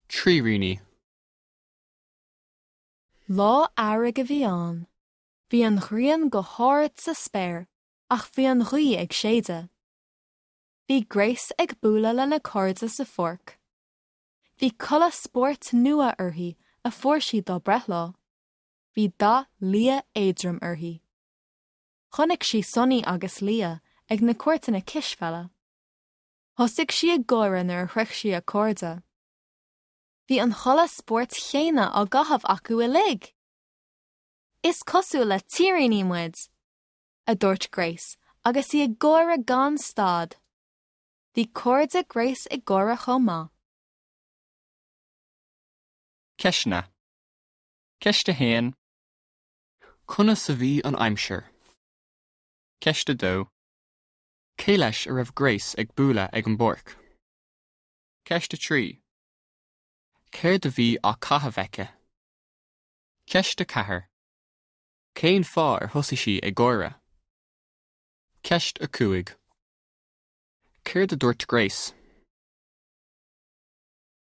Tríríní. Lá earraigh a bhí ann. Bhí an ghrian go hard sa spéir ach bhí an ghaoth ag séideadh. Bhí Grace ag bualadh lena cairde sa pháirc. Bhí culaith spóirt nua uirthi a fuair sí dá breithlá. Bhí dath liath éadrom uirthi. Chonaic sí Sonny agus Leah ag na cúirteanna cispheile. Thosaigh sí ag gáire nuair a shroich sí a cairde. Bhí an chulaith spóirt chéanna á gcaitheamh acu uilig! Is cosúil le tíríní muid! a dúirt Grace agus í ag gáire gan stad. Bhí cairde Grace ag gáire chomh maith. Ceisteanna. Ceist 1. Conas a bhí an aimsir? Ceist 2. Cé leis a raibh Grace ag bualadh ag an bpáirc? Ceist 3. Céard a bhí á caitheamh aici? Ceist 4. Cén fáth ar thosaigh sí ag gáire? Ceist 5. Céard a dúirt Grace?